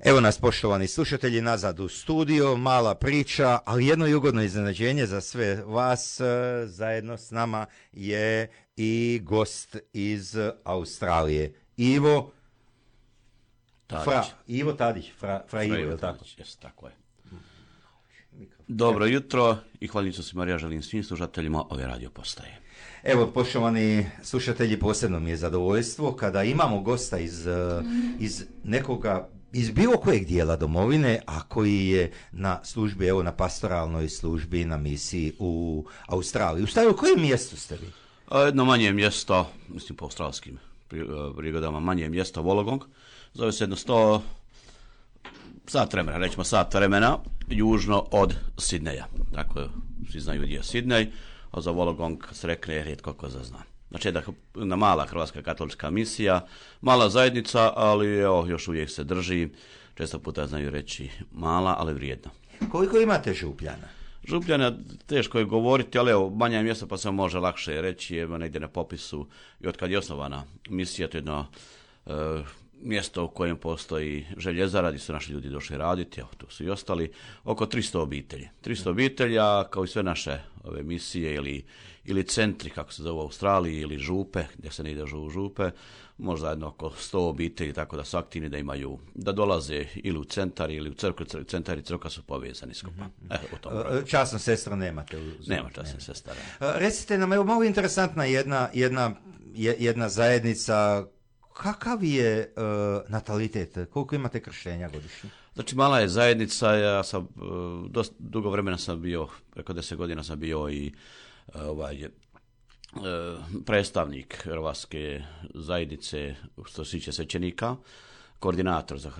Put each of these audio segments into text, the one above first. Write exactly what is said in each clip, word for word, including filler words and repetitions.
Evo nas, poštovani slušatelji, nazad u studio, mala priča, ali jedno i ugodno iznenađenje za sve vas. Zajedno s nama je i gost iz Australije, Ivo Tadić. Fra, Ivo Tadić, Fra, Fra, Fra Ivo, Ivo je li tako? Jest, tako je. Dobro jutro i hvalnicu se Marija želim svim slušateljima ove radio postaje. Evo, poštovani slušatelji, posebno mi je zadovoljstvo kada imamo gosta iz, iz nekoga, iz bilo kojeg dijela domovine, a koji je na službi, evo na pastoralnoj službi, na misiji u Australiji. U stvari, u kojem mjestu ste vi? Jedno manje mjesto, mislim po australskim prigodama, manje mjesto Wollongong, zove se jedno sto sat vremena, rećemo sat vremena, južno od Sidneja. Dakle, svi znaju gdje je Sidnej, a za Wollongong se rekne rijetko ko zazna. Znači, jedna mala hrvatska katolička misija, mala zajednica, ali evo, još uvijek se drži, često puta znaju reći mala, ali vrijedna. Koliko imate župljana? Župljana teško je govoriti, ali evo, manja mjesta pa se može lakše reći, evo negdje na popisu i od kad je osnovana misija, to je jedno e, mjesto u kojem postoji željezara, gdje su naši ljudi došli raditi, evo tu su i ostali, oko tristo obitelji. tristo obitelja, kao i sve naše ove misije ili, ili centri, kako se zove u Australiji, ili župe, gdje se ne ide u župe, možda jedno oko sto obitelji, tako da su aktivni, da imaju, da dolaze ili u centar ili u crkvu, centar i crkva su povezani skupa. Mm-hmm. Evo, u tom časno sestra nemate? U... Nema časno sestra. Recite nam, evo malo interesantna jedna, jedna, jedna zajednica. Kakav je uh, natalitet? Koliko imate krštenja godišnje? Znači, mala je zajednica, ja sam, uh, dosta dugo vremena sam bio, preko deset godina sam bio i uh, ovaj, uh, predstavnik hrvatske zajednice što se tiče svećenika, koordinator za,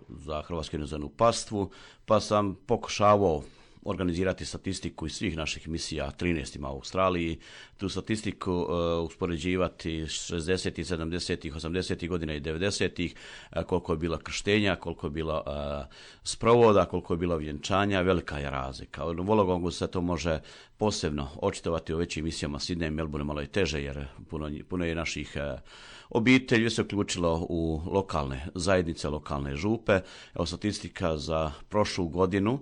za Hrvatsku inozemnu pastvu, pa sam pokušavao organizirati statistiku iz svih naših misija, trinaest ima u Australiji, tu statistiku uh, uspoređivati šezdesetih, sedamdesetih, osamdesetih godina i devedesetih, uh, koliko je bila krštenja, koliko je bila uh, sprovoda, koliko je bila vjenčanja, velika je razlika. U Wollongongu se to može posebno očitovati u većim misijama, Sidney, Melbourne malo je teže, jer puno, puno je naših uh, obitelji se uključilo u lokalne zajednice, lokalne župe. Evo statistika za prošlu godinu,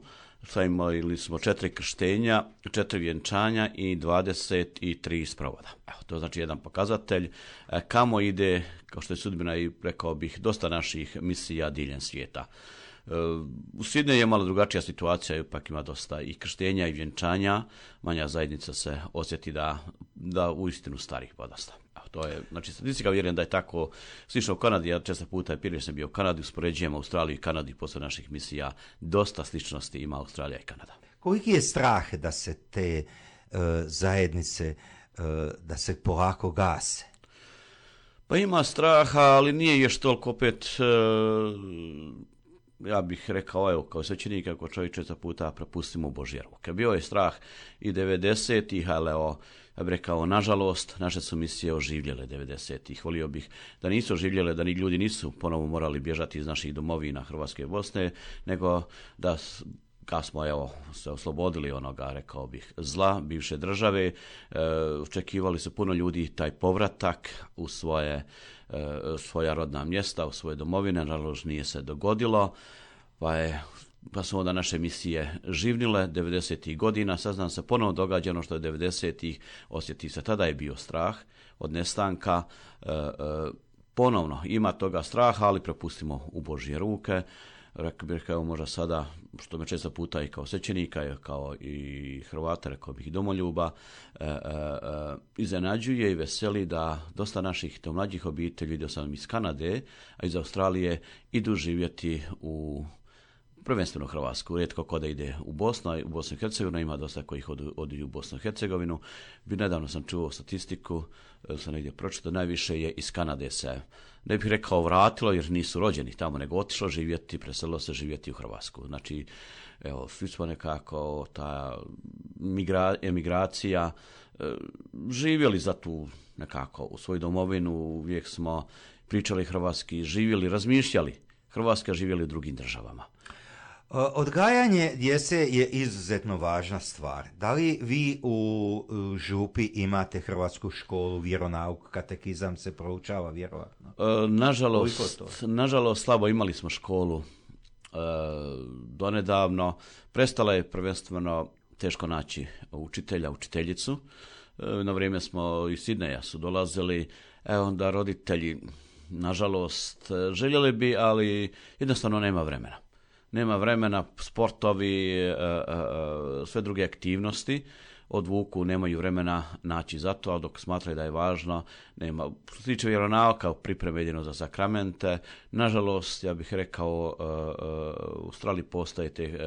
imali smo četiri krštenja, četiri vjenčanja i dvadeset tri sprovoda. Evo, to znači jedan pokazatelj kamo ide, kao što je sudbina i rekao bih, dosta naših misija diljem svijeta. U Sidneju je malo drugačija situacija, ipak ima dosta i krštenja i vjenčanja, manja zajednica se osjeti da, da uistinu starih podasta. To je, znači, statistika vjerujem da je tako slično u Kanadi, ja često puta je prije sam bio u Kanadi, uspoređujem Australiju i Kanadu i posle naših misija, dosta sličnosti ima Australija i Kanada. Koliki je strah da se te uh, zajednice, uh, da se polako gase? Pa ima straha, ali nije još toliko opet, uh, ja bih rekao, evo, kao svećenik, ako čovjek često puta prepustimo u Božje ruke. Bio je strah i devedesetih, ali evo, ja bih rekao, nažalost, naše su misije oživljele devedesetih. Volio bih da nisu oživljele, da ni ljudi nisu ponovo morali bježati iz naših domovina Hrvatske i Bosne, nego da kad smo evo, se oslobodili onoga, rekao bih, zla bivše države, e, očekivali su puno ljudi taj povratak u svoje, e, svoja rodna mjesta, u svoje domovine, nažalost nije se dogodilo, pa je pa su onda naše misije živnile devedesetih godina, sad nam se ponovno događa ono što je devedesetih, osjeti se, tada je bio strah od nestanka, e, e, ponovno ima toga straha, ali prepustimo u Božje ruke. Rekao bih, evo možda sada, što me često puta i kao svećenika, kao i Hrvata, rekao bih i domoljuba, e, e, e, iznenađuje i veseli da dosta naših to mlađih obitelji, vidio sam iz Kanade, a iz Australije, idu živjeti u prvenstveno Hrvatsku, rijetko ko da ide u Bosnu, u Bosnu i Hercegovinu, ima dosta kojih od, odi u Bosnu i Hercegovinu. Nedavno sam čuo statistiku, sam negdje pročitao, najviše je iz Kanade se, ne bih rekao vratilo jer nisu rođeni tamo, nego otišlo živjeti, preselilo se živjeti u Hrvatsku. Znači, evo, svi smo nekako, ta migra, emigracija, živjeli za tu nekako u svoju domovinu, uvijek smo pričali hrvatski, živjeli, razmišljali Hrvatska, živjeli u drugim državama. Odgajanje djece je izuzetno važna stvar. Da li vi u župi imate hrvatsku školu, vjeronauk, katekizam se proučava vjerovatno? E, nažalost, nažalost, slabo imali smo školu donedavno. Prestala je prvenstveno teško naći učitelja, učiteljicu. Na vrijeme smo iz Sidneja su dolazili, e onda roditelji, nažalost, željeli bi, ali jednostavno nema vremena. Nema vremena, sportovi, sve druge aktivnosti odvuku, nemaju vremena naći za to, a dok smatraju da je važno, nema. Što se tiče vjeronauka, pripreme jedino za sakramente, nažalost, ja bih rekao, u Australiji postoje te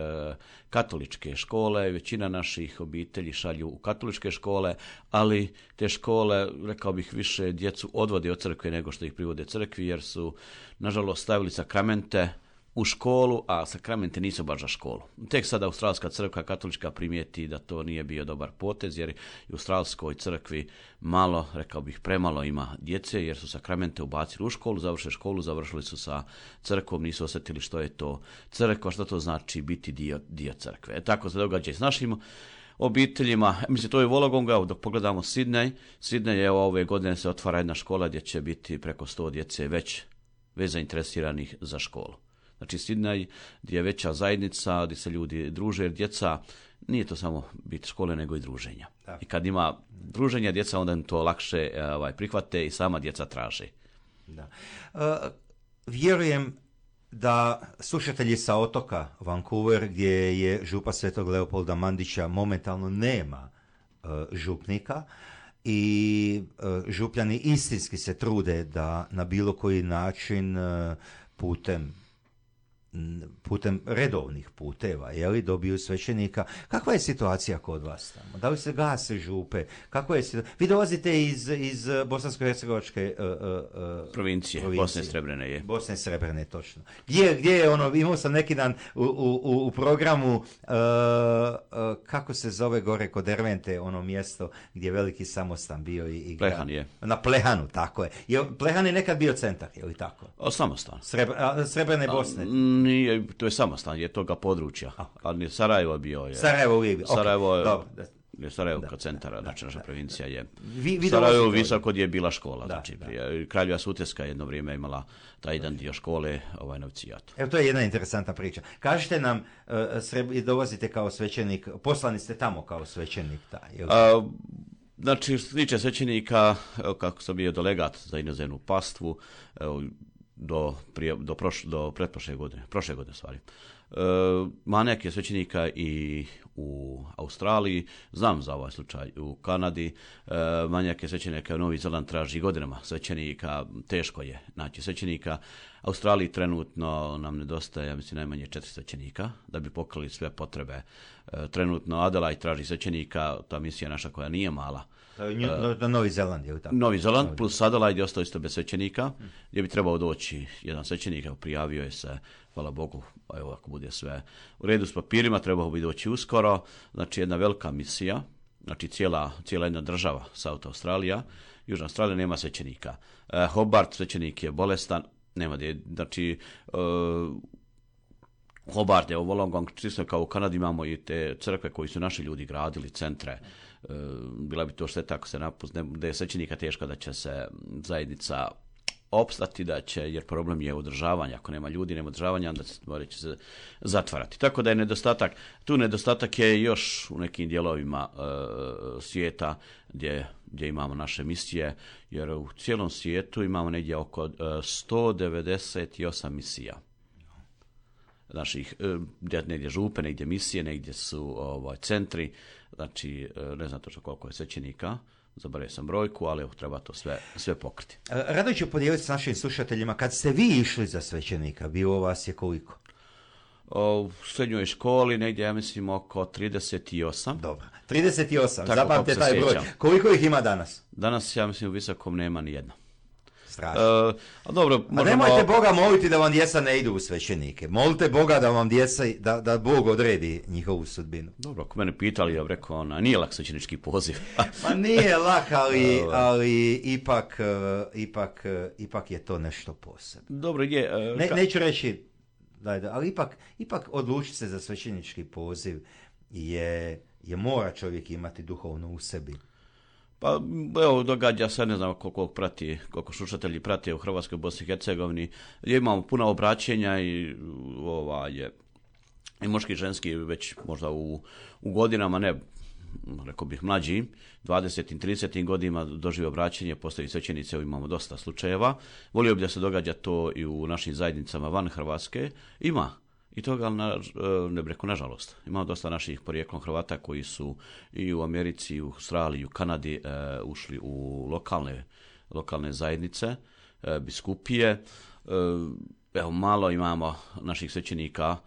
katoličke škole, većina naših obitelji šalju u katoličke škole, ali te škole, rekao bih, više djecu odvode od crkve nego što ih privode crkvi, jer su, nažalost, stavili sakramente u školu, a sakramente nisu baš za školu. Tek sada Australska crkva katolička primijeti da to nije bio dobar potez, jer u Australskoj crkvi malo, rekao bih, premalo ima djece, jer su sakramente ubacili u školu, završili školu, završili su sa crkvom, nisu osjetili što je to crkva, što to znači biti dio, dio crkve. E, tako se događa i s našim obiteljima. Mislim, to je Wollongong, dok pogledamo Sidney. Sidney je ove godine se otvara jedna škola gdje će biti preko sto djece već, već zainteresiranih za školu. Znači Sidney gdje je veća zajednica, gdje se ljudi druže, jer djeca, nije to samo biti škole, nego i druženja. Da. I kad ima druženja djeca, onda im to lakše ovaj, prihvate i sama djeca traže. Da. Uh, vjerujem da slušatelji sa otoka Vancouver, gdje je župa Svetog Leopolda Mandića, momentalno nema uh, župnika, i uh, župljani istinski se trude da na bilo koji način uh, putem putem redovnih puteva, je li, dobiju svećenika. Kakva je situacija kod vas tamo? Da li se gase župe? Kako je situacija? Vi dolazite iz, iz bosansko-hercegovačke uh, uh, provincije, provincije, Bosne Srebrene je. Bosne Srebrene, točno. Gdje, gdje je ono, imao sam neki dan u, u, u programu, uh, uh, kako se zove gore kod Dervente, ono mjesto gdje je veliki samostan bio i, i Plehan je. Na Plehanu, tako je. je. Plehan je nekad bio centar, je li tako? O, samostan. Srebr, a, Srebrene Bosne. A, Nije, to je samostan, je toga područja. Ali Sarajevo bio je. Sarajevo uvijek. Sarajevo je, okay. je Sarajevo kao centara, znači naša provincija je. Vi, vi Sarajevo visoko gdje je bila škola. Da, znači, da. Prije, Kraljeva Sutjeska jedno vrijeme imala taj jedan dio škole, ovaj Novcijat. Evo, to je jedna interesantna priča. Kažite nam, uh, sreb, dolazite kao svećenik, poslani ste tamo kao svećenik. Da, je li... A, znači, što se tiče svećenika, evo, kako sam bio delegat za inozemnu pastvu, evo, do, prije, do, proš, do pretprošle godine, prošle godine stvari. E, manjak je svećenika i u Australiji, znam za ovaj slučaj u Kanadi, e, manjak je svećenika u Novi Zeland, traži godinama svećenika, teško je naći svećenika. Australiji trenutno nam nedostaje, ja mislim, najmanje četiri svećenika da bi pokrili sve potrebe. E, trenutno Adelaide traži svećenika, ta misija naša koja nije mala. Na Novi Zeland je li tako? Novi Zeland plus Adelaide je ostao isto bez svećenika, gdje bi trebao doći jedan svećenik, prijavio je se, hvala Bogu, evo ako bude sve u redu s papirima, trebao bi doći uskoro, znači jedna velika misija, znači cijela, cijela jedna država, South Australija, Južna Australija nema svećenika. E, Hobart, svećenik je bolestan, nema gdje, znači e, Hobart je u Wollongong, čisto kao u Kanadi imamo i te crkve koji su naši ljudi gradili, centre. E, bila bi to šteta ako se napuzne, da je svećenika teško da će se zajednica opstati, da će, jer problem je održavanje. Ako nema ljudi, nema održavanja, onda će se zatvarati. Tako da je nedostatak, tu nedostatak je još u nekim dijelovima e, svijeta gdje, gdje imamo naše misije, jer u cijelom svijetu imamo negdje oko e, sto devedeset osam misija. Naših, e, negdje župe, negdje misije, negdje su ovaj, centri, znači ne znam točno koliko je svećenika, zaboravio sam brojku, ali evo, treba to sve, sve pokriti. Rado ću podijeliti s našim slušateljima, kad ste vi išli za svećenika, bilo vas je koliko? O, u srednjoj školi negdje, ja mislim, oko trideset osam. Dobro, trideset osam, zapamte taj broj. Sjećam. Koliko ih ima danas? Danas, ja mislim, u Visokom nema ni jedna. Strašno. Uh, a dobro, možemo... A nemojte Boga moliti da vam djeca ne idu u svećenike. Molite Boga da vam djeca, da, da Bog odredi njihovu sudbinu. Dobro, ako mene pitali, ja bih rekao, ona, nije lak svećenički poziv. Pa nije lak, ali, ali ipak, ipak, ipak je to nešto posebno. Dobro, je... Uh, ne, ka... Neću reći, daj, ali ipak, ipak odlučiti se za svećenički poziv je, je mora čovjek imati duhovno u sebi. Pa evo, događa se, ne znam koliko prati, koliko slušatelji prate u Hrvatskoj, Bosni i Hercegovini, imamo puno obraćenja i ovaj, i muški i ženski već možda u, u godinama, ne, rekao bih mlađi, dvadesetim, tridesetim godinama dožive obraćenje, postaju svećenici, evo imamo dosta slučajeva. Volio bih da se događa to i u našim zajednicama van Hrvatske. Ima i toga, ali na, ne bih rekao nažalost. Imamo dosta naših porijeklom Hrvata koji su i u Americi, i u Australiji, i u Kanadi e, ušli u lokalne, lokalne zajednice, e, biskupije. E, evo malo imamo naših svećenika.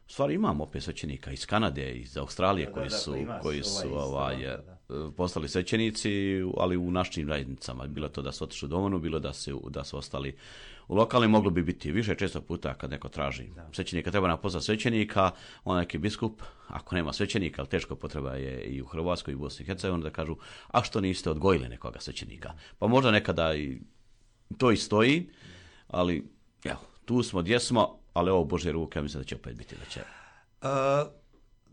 U stvari imamo opet svećenika iz Kanade, iz Australije, koji su, da, da, koji su ovaj, ovaj, postali svećenici, ali u našim zajednicama. Bilo to da su otišli u domovinu, bilo da su, da su ostali u lokalnim, moglo bi biti više često puta kad neko traži da. Svećenika, treba nam pozvati svećenika, on neki biskup, ako nema svećenika, ali teško potreba je i u Hrvatskoj i u Bosni i Hercegovini, da kažu, a što niste odgojili nekoga svećenika? Pa možda nekada i to i stoji, ali evo, tu smo gdje smo, ali ovo Božje ruke, ja mislim da će opet biti da će. Uh,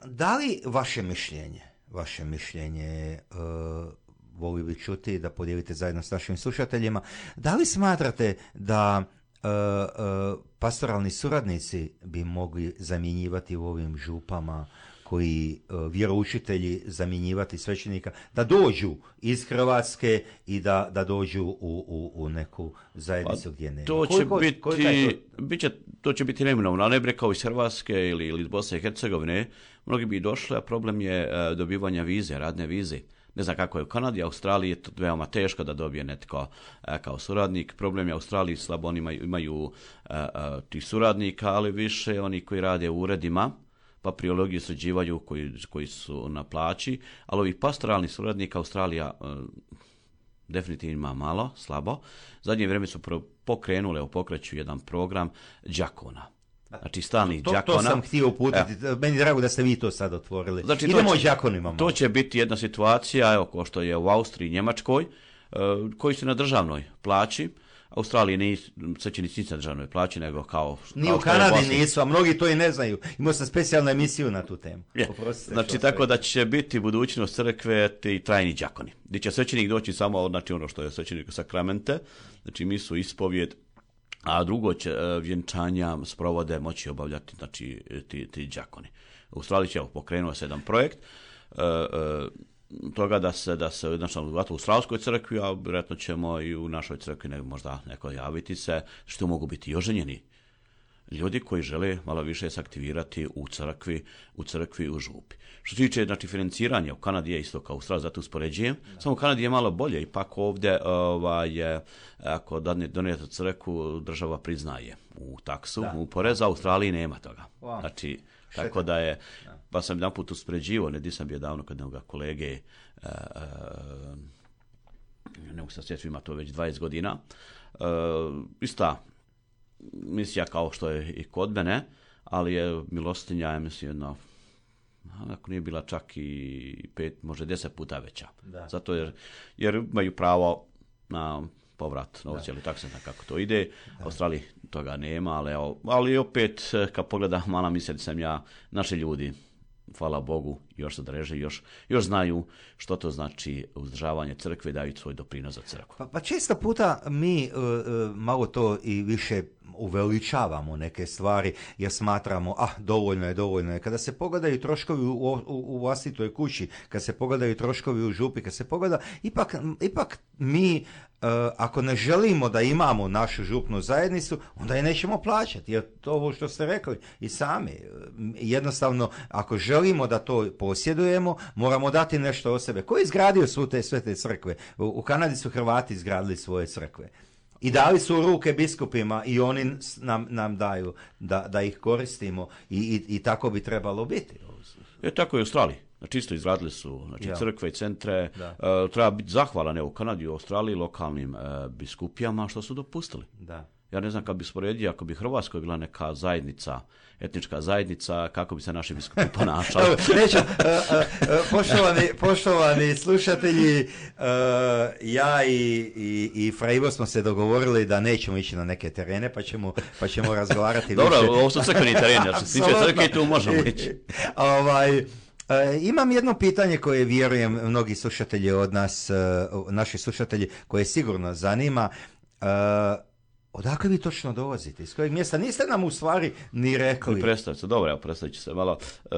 da li vaše mišljenje, vaše mišljenje, uh, volio bih čuti da podijelite zajedno s našim slušateljima, da li smatrate da uh, uh, pastoralni suradnici bi mogli zamjenjivati u ovim župama koji uh, vjeroučitelji zamjenjivati svećenika, da dođu iz Hrvatske i da, da dođu u, u, u neku zajednicu pa, gdje nema? To će koliko, biti, koliko to? Biće, to će biti neminovno, ali ne bi rekao iz Hrvatske ili, ili iz Bosne i Hercegovine, mnogi bi došli, a problem je uh, dobivanja vize, radne vize. Ne znam kako je u Kanadi, Australiji je to veoma teško da dobije netko uh, kao suradnik. Problem je u Australiji, slabo oni imaju, imaju uh, uh, tih suradnika, ali više oni koji rade u uredima, papirologiju sređivaju koji, koji su na plaći, ali ovih pastoralnih suradnika Australija e, definitivno ima malo, slabo. Zadnje vrijeme su pokrenule, pokreću jedan program đakona. Znači stalnih to, đakona. To sam htio uputiti, e. meni drago da ste vi to sad otvorili. Znači, idemo o đakonima. To će biti jedna situacija, evo, kao što je u Austriji i Njemačkoj, e, koji su na državnoj plaći. Australiji nisu svećenici nisu na državnoj plaći, nego kao... Ni kao u Kanadi nisu, a mnogi to i ne znaju. Imao sam specijalnu emisiju na tu temu. Je. Znači, tako da će biti budućnost crkve ti trajni đakoni. Gdje će svećenik doći samo, znači ono što je svećenik sakramente, znači misu, ispovjed, a drugo će vjenčanja sprovode moći obavljati, znači, ti, ti đakoni. U Australiji će pokrenuo se jedan projekt, uh, uh, toga da se, da se znači, u Australskoj crkvi, a vjerojatno ćemo i u našoj crkvi ne, možda neko javiti se, što mogu biti i oženjeni ljudi koji žele malo više se aktivirati u crkvi, u crkvi u župi. Što se tiče znači, financiranja, u Kanadi je isto kao u Australiji, zato uspoređujem, da. Samo u Kanadi je malo bolje, ipak ovdje ovaj, ako donijete crkvu, država priznaje u taksu, da. U poreza, u Australiji nema toga. Wow. Znači, Šetan. Tako da je, pa sam jedan put uspoređivao, ne di sam bio davno kod nekoga kolege, uh, uh, ne mogu se sjetiti, ima to već dvadeset godina, uh, ista misija kao što je i kod mene, ali je milostinja, ja mislim, jedno, ako nije bila čak i pet, možda deset puta veća. Da. Zato jer, jer imaju pravo na povrat novca, ili tako se kako to ide. Da. Australiji toga nema, ali, ali opet, kad pogledam, mala misija sam ja, naši ljudi, hvala Bogu, još se dreže, još, još znaju što to znači uzdržavanje crkve, daju svoj doprinos za crkvu. Pa, pa često puta mi uh, uh, malo to i više uveličavamo neke stvari jer smatramo, ah, dovoljno je, dovoljno je. Kada se pogledaju troškovi u, u, u vlastitoj kući, kad se pogledaju troškovi u župi, kad se pogleda, ipak, ipak mi, uh, ako ne želimo da imamo našu župnu zajednicu, onda je nećemo plaćati. Jer to ovo što ste rekli i sami, jednostavno, ako želimo da to posjedujemo, moramo dati nešto od sebe. Ko je izgradio sve te, sve te crkve? U, u Kanadi su Hrvati izgradili svoje crkve. I dali su u ruke biskupima i oni nam, nam daju da, da ih koristimo i, i, i tako bi trebalo biti. E, tako je u Australiji. Znači isto izradili su znači, ja. crkve i centre. Uh, treba biti zahvalan u Kanadi i u Australiji lokalnim uh, biskupijama što su dopustili. Da. Ja ne znam, kad bi sporedio, ako bi Hrvatskoj bila neka zajednica, etnička zajednica, kako bi se naši biskupi ponašali. Neću, uh, uh, poštovani, poštovani slušatelji, uh, ja i, i, i Fra Ivo smo se dogovorili da nećemo ići na neke terene, pa ćemo, pa ćemo razgovarati Dobro, više. Dobro, ovo su crkveni tereni, ja što se tiče crkve, tu možemo ići. Ovaj, uh, imam jedno pitanje koje vjerujem mnogi slušatelji od nas, uh, naši slušatelji, koje sigurno zanima. Uh, Odakle vi točno dolazite? Iz kojeg mjesta? Niste nam u stvari ni rekli. Predstavite se, dobro, evo predstavit ću se malo. E,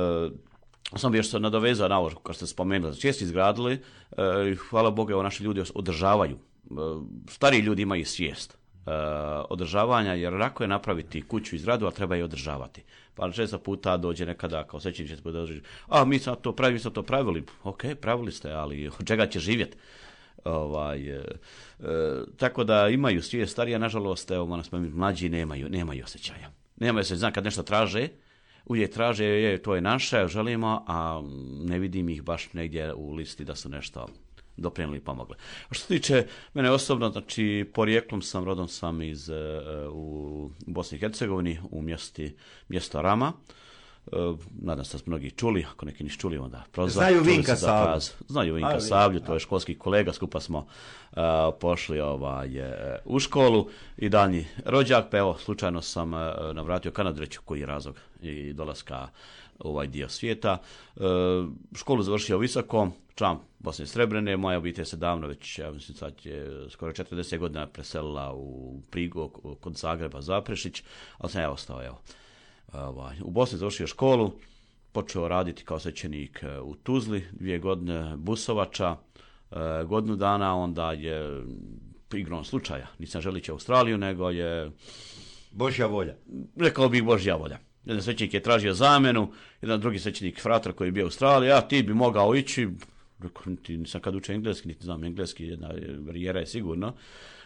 sam bi još se nadovezao na ovo, kao ste spomenuli, česti izgradili, e, hvala Bogu, evo naši ljudi održavaju. E, stariji ljudi imaju svijest e, održavanja, jer lako je napraviti kuću i zgradu, a treba je održavati. Pa često puta dođe nekada kao svećenik će dođe, a mi smo to pravili, mi smo to pravili. Ok, pravili ste, ali od čega će živjeti? Ovaj, e, e, tako da imaju svijest, starija, nažalost, evo, moram spomenuti, mlađi nemaju, nemaju osjećaja. Nemaju se, znam, kad nešto traže, uvijek traže, je, to je naše, želimo, a ne vidim ih baš negdje u listi da su nešto doprinijeli i pomogli. A što se tiče mene osobno, znači, porijeklom sam, rodom sam iz, uh, u Bosni i Hercegovini, u mjesti, mjesto Rama. Uh, nadam se da ste mnogi čuli, ako neki nisu čuli, onda prozor. Znaju Vinka Savlju. Znaju Vinka Savlju, to je školski kolega, skupa smo uh, pošli ovaj, uh, u školu i daljnji rođak, pa evo, slučajno sam uh, navratio Kanadu, reći koji je razlog i dolaska u ovaj dio svijeta. Uh, školu završio visoko, član Bosne i Srebrene, moja obitelj se davno, već, ja mislim, sad je skoro četrdeset godina preselila u Prigo kod Zagreba, Zaprešić, ali sam ja ostao, evo. Ovaj, u Bosni završio školu, počeo raditi kao svećenik u Tuzli, dvije godine busovača, godinu dana, onda je igrom slučaja, nisam želići Australiju, nego je... Božja volja. Rekao bih Božja volja. Jedan svećenik je tražio zamjenu, jedan drugi svećenik fratar koji je bio u Australiji, a ti bi mogao ići, rekao, niti nisam kad učio engleski, niti znam engleski, jedna barijera je sigurno.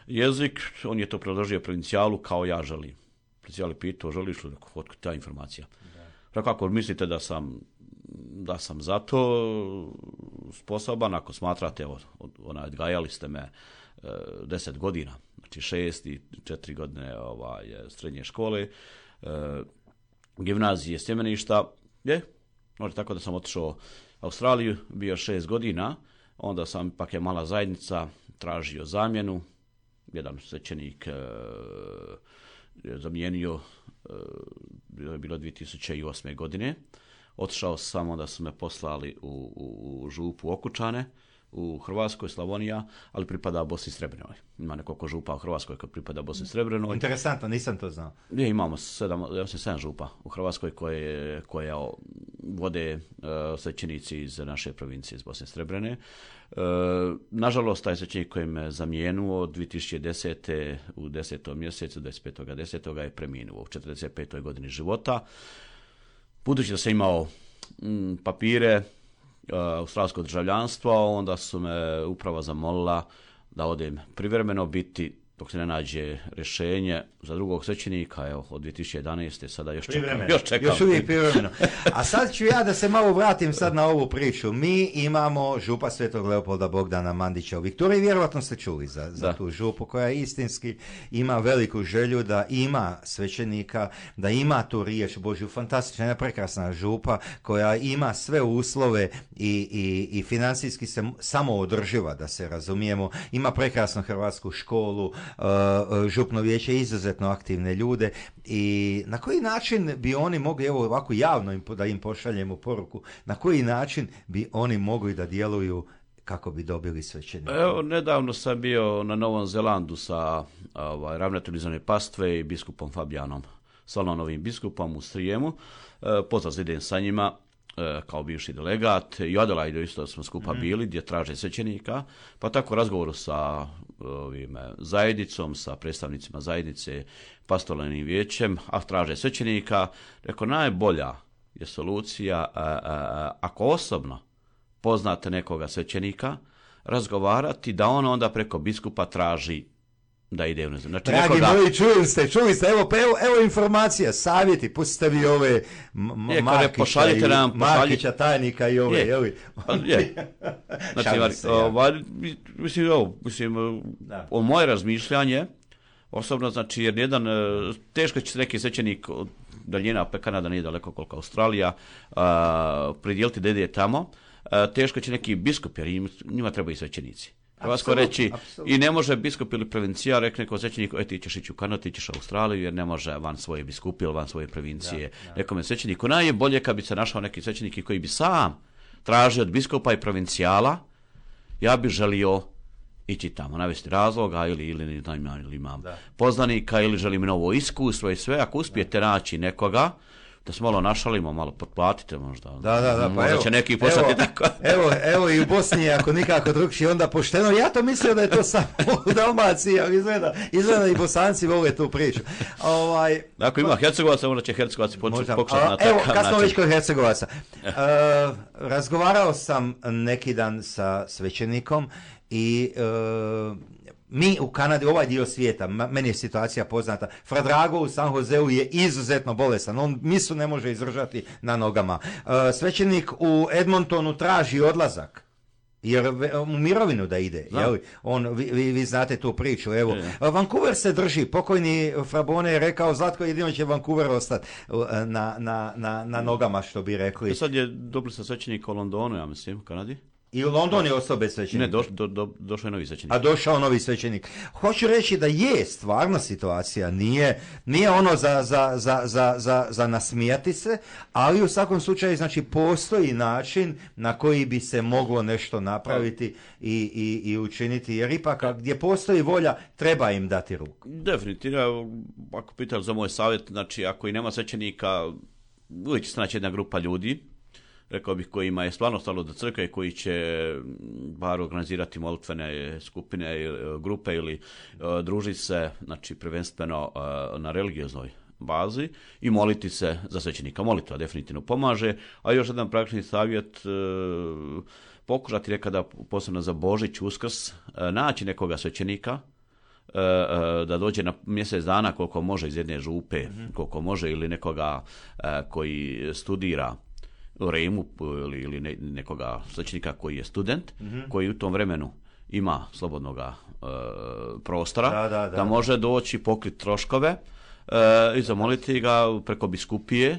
Jezik, on je to predložio provincijalu kao ja želim. Provincijal je pitao, želiš li, otkud ta informacija? Rekao, ako mislite da sam, da sam za to sposoban, ako smatrate, evo, onaj, odgajali ste me e, deset godina, znači šest i četiri godine ovaj, srednje škole, e, gimnazije Sjemeništa, je, znači tako da sam otišao u Australiju, bio šest godina, onda sam, pak je mala zajednica, tražio zamjenu, jedan svećenik e, je zamijenio, e, je bilo dvije tisuće osme. godine, otišao sam, onda su me poslali u, u, u župu Okučane, u Hrvatskoj, Slavonija, ali pripada Bosni i Srebrenoj. Ima nekoliko župa u Hrvatskoj koji pripada Bosni i Srebrenoj. Interesantno, nisam to znao. Je, imamo sedam, ja sam sedam župa u Hrvatskoj koje, koje vode uh, svećenici iz naše provincije, iz Bosne i Srebrene. Uh, nažalost, taj svećenik koji me zamijenuo dvije tisuće desete. u desetom mjesecu, dvadeset petog desetog je preminuo u četrdeset petoj godini života. Budući da sam imao mm, papire, australsko državljanstvo, onda su me uprava zamolila da odem privremeno biti, dok se ne nađe rješenje za drugog svećenika, evo, od dvije tisuće jedanaeste. sada još čekam. Još, čekam. Još uvijek privremeno. A sad ću ja da se malo vratim sad na ovu priču. Mi imamo župa Svetog Leopolda Bogdana Mandića u Viktoriji, vjerovatno ste čuli za, za tu župu koja istinski ima veliku želju da ima svećenika, da ima tu riječ Božju, fantastična, jedna prekrasna župa koja ima sve uslove i, i, i financijski se samo održiva, da se razumijemo, ima prekrasnu hrvatsku školu, Uh, župno vijeće izuzetno aktivne ljude i na koji način bi oni mogli, evo ovako javno im, da im pošaljemo poruku, na koji način bi oni mogli da djeluju kako bi dobili svećenika? Evo, nedavno sam bio na Novom Zelandu sa ovaj, ravnateljem Izvorne pastve i biskupom Fabijanom Salonovim biskupom u Strijemu. E, pozdrav za idem sa njima kao bivši delegat, i Adelaidu isto smo skupa mm. bili, gdje traže svećenika, pa tako u razgovoru sa ovim, zajednicom, sa predstavnicima zajednice, pastoralnim vijećem, a traže svećenika, rekao, najbolja je solucija, a, a, a, ako osobno poznate nekoga svećenika, razgovarati da on onda preko biskupa traži da ide u nezem. Znači, dragi nekoga... moji, čuli ste, čuli ste, evo, pa evo, evo informacija, savjeti, pustite vi ove m- Markića, i, nam, Markića, tajnika i ove, je, jeli? Je. Znači, se, ovaj, mislim, ovo, mislim, o moje razmišljanje, osobno, znači, jer jedan, teško će se neki svećenik od daljina, pa Kanada nije daleko koliko Australija, a, pridjeliti da ide tamo, a, teško će neki biskup, jer njima trebaju svećenici. Hrvatsko reći, absolutno. I ne može biskup ili provincija, rekne neko svećenik, e ti ćeš ići u Kanadu, ti ćeš u Australiju, jer ne može van svoje biskupi ili van svoje provincije. Da, da. Nekome svećeniku najbolje kad bi se našao neki svećenik koji bi sam tražio od biskupa i provincijala, ja bih želio ići tamo, navesti razloga ili, ili, ili imam da. poznanika ili želim novo iskustvo i sve. Ako uspijete da. naći nekoga, da se malo našalimo, malo potplatite možda. Da, da, da. Pa možda evo, će neki poslati evo, tako. evo, evo i u Bosni, ako nikako drugčije, onda pošteno. Ja to mislio da je to samo u Dalmaciji, ali izgleda, izgleda i Bosanci vole tu priču. Ovaj, ako ima Hercegovaca, onda će Hercegovaci pokušati na takav način. Evo, kad smo već kod Hercegovaca. Uh, razgovarao sam neki dan sa svećenikom i uh, mi u Kanadi, ovaj dio svijeta, meni je situacija poznata, Fra Drago u San Joseu je izuzetno bolesan, on misu ne može izdržati na nogama. Uh, svećenik u Edmontonu traži odlazak, jer u mirovinu da ide, jel? On, vi, vi, vi znate tu priču, evo. Je. Vancouver se drži, pokojni Frabone je rekao, Zlatko, jedino će Vancouver ostati na, na, na, na nogama, što bi rekli. I sad je dobili sa svećenika u Londonu, ja mislim, u Kanadi. I u London je ostao bez svećenika. Ne, do, do, do, došao je novi svećenik. A došao novi svećenik. Hoću reći da je stvarna situacija, nije, nije ono za, za, za, za, za, za nasmijati se, ali u svakom slučaju znači postoji način na koji bi se moglo nešto napraviti i, i, i učiniti, jer ipak gdje postoji volja treba im dati ruku. Definitivno, ako pitali za moj savjet, znači ako i nema svećenika, uvijek će se naći jedna grupa ljudi, rekao bih, kojima je stvarno stalo do crkve i koji će bar organizirati molitvene skupine, grupe ili uh, družiti se, znači prvenstveno uh, na religioznoj bazi i moliti se za svećenika. Molitva definitivno pomaže, a još jedan praktični savjet, uh, pokušati nekada, posebno za Božić, Uskrs, uh, naći nekoga svećenika, uh, uh, da dođe na mjesec dana koliko može iz jedne župe, mm-hmm. koliko može, ili nekoga uh, koji studira u Rimu ili, ili ne, nekoga svećenika koji je student, mm-hmm. koji u tom vremenu ima slobodnoga e, prostora, da, da, da, da može doći, pokriti troškove e, i zamoliti ga preko biskupije.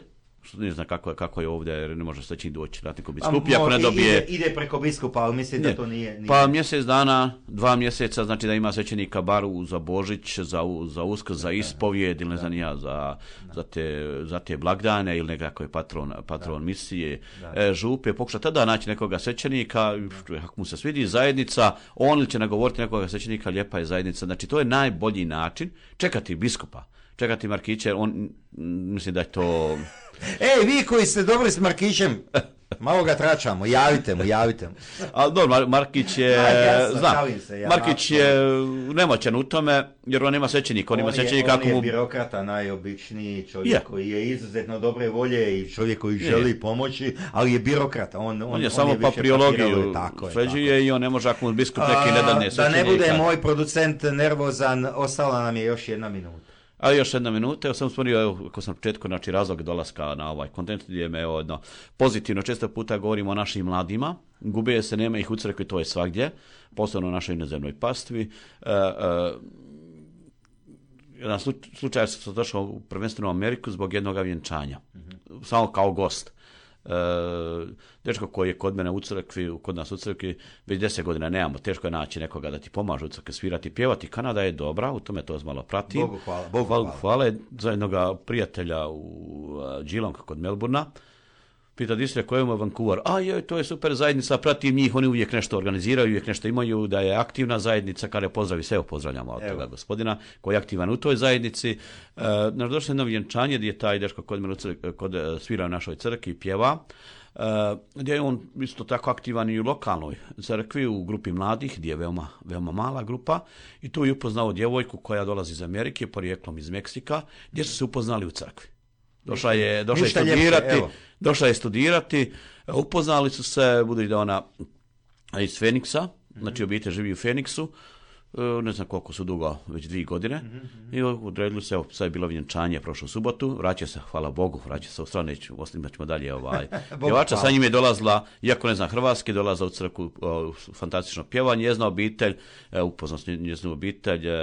Ne znam kako je, kako je ovdje, jer ne može svećenik doći na neko biskupije ako ne dobije... Ide, ide preko biskupa, ali mislim da to nije, nije... Pa mjesec dana, dva mjeseca, znači da ima svećenika bar za Božić, za, za Uskrs, za ispovijed, ili ne znam ja, za, za, te, za te blagdane, ili nekako je patron, patron misije, e, župe, pokuša tada naći nekoga svećenika, ako mu se svidi zajednica, on će nagovoriti nekoga svećenika, lijepa je zajednica, znači to je najbolji način, čekati biskupa, čekati Markiće, on, mislim da je to... Ej, vi koji ste dobri s Markićem, malo ga tračamo, javite mu, javite mu. Ali dobro, Mar- Markić je, ja, znam, se, ja, Markić je nemoćan u tome, jer on nema svećenika, on, on ima svećenika. On je mu... birokrata, najobičniji čovjek je. Koji je izuzetno dobre volje i čovjek koji je. želi pomoći, ali je birokrata. On, on, on je on samo je papirologiju sređuje i on ne može, ako mu biskup neki ne dane svećenika. Da ne bude moj producent nervozan, ostala nam je još jedna minuta. Ali još jedna minuta, ja sam spomenuo, evo, ako sam na početku, znači razlog dolaska na ovaj kontent, gdje me evo, jedno, pozitivno, često puta govorimo o našim mladima, gube se, nema ih u crkvi, to je svagdje, posebno u našoj inozemnoj pastvi. E, e, jedan slučaj sam došao prvenstveno u Ameriku zbog jednog vjenčanja, mm-hmm. samo kao gost. E, dečko koji je kod mene u crkvi, kod nas u crkvi, već deset godina nemamo, teško je naći nekoga da ti pomaže u crkvi svirati, pjevati. Kanada je dobra, u tome to malo pratim. Bogu hvala. Bogu hvala. hvala. Za jednog prijatelja u uh, Geelong kod Melbourna. Pita distre koji je Vancouver. A joj, to je super zajednica, pratim njih, oni uvijek nešto organiziraju, uvijek nešto imaju, da je aktivna zajednica, kada je pozdravi, sve pozdravljamo od toga gospodina, koji je aktivan u toj zajednici. E, naš došlo jedno vjenčanje gdje je taj dečko kod, kod svira u našoj crkvi, pjeva, e, gdje je on isto tako aktivan i u lokalnoj crkvi, u grupi mladih, gdje je veoma, veoma mala grupa, i tu je upoznao djevojku koja dolazi iz Amerike, porijeklom iz Meksika, gdje su se upoznali u crkvi. Došla je, došla je studirati, ljepše, došla je studirati, upoznali su se, budući da ona iz Feniksa, mm-hmm. znači obitelj živi u Feniksu, ne znam koliko su dugo, već dvije godine, mm-hmm. i odredili se, evo, sad je bilo vjenčanje prošlu subotu, vraća se, hvala Bogu, vraća se u stranu, osim ćemo dalje, ovaj, pjevača, sa njim je dolazila, iako ne znam hrvatski, dolazila u crkvu, o, fantastično pjevanje, njezna obitelj, e, upoznao njeznu obitelj, e,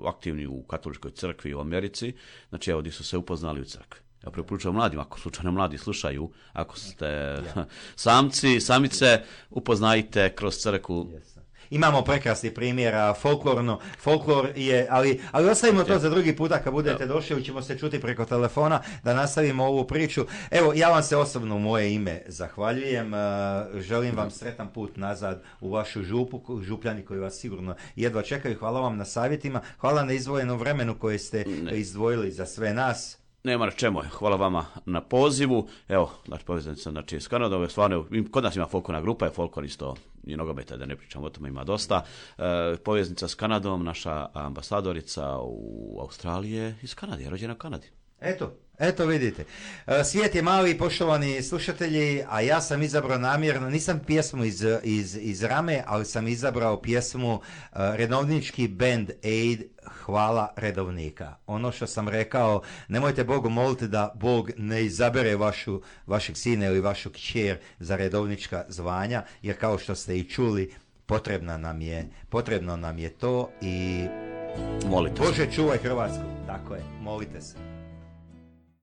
aktivni u katoličkoj crkvi u Americi, znači evo, gdje su se upoznali u crkvi. Ja preporučujem mladim, ako slučajno mladi slušaju, ako ste ja. samci, samice, upoznajte kroz crkvu. Yes. imamo prekrasnih primjera, folklorno, folklor je, ali, ali ostavimo to za drugi puta kad budete došli, ćemo se čuti preko telefona da nastavimo ovu priču. Evo, ja vam se osobno u moje ime zahvaljujem, želim vam sretan put nazad u vašu župu, župljani koji vas sigurno jedva čekaju. Hvala vam na savjetima, hvala na izdvojenom vremenu koje ste ne. izdvojili za sve nas. Nema na čemu, hvala vama na pozivu. Evo, znači poveznica znači iz Kanade, stvarno kod nas ima folklorna grupa, je folklor isto i nogometa, da ne pričam o tome, ima dosta. E, poveznica s Kanadom, naša ambasadorica u Australiji je iz Kanade, je rođena u Kanadi. Eto, eto vidite. Svijet je mali, poštovani slušatelji, a ja sam izabrao namjerno, nisam pjesmu iz, iz, iz Rame, ali sam izabrao pjesmu uh, redovnički band Aid, Hvala redovnika. Ono što sam rekao, nemojte Bogu moliti da Bog ne izabere vašu, vašeg sina ili vašu kćer za redovnička zvanja, jer kao što ste i čuli, potrebna nam je, potrebno nam je to i molite Bože, čuvaj Hrvatsku. Tako je, molite se.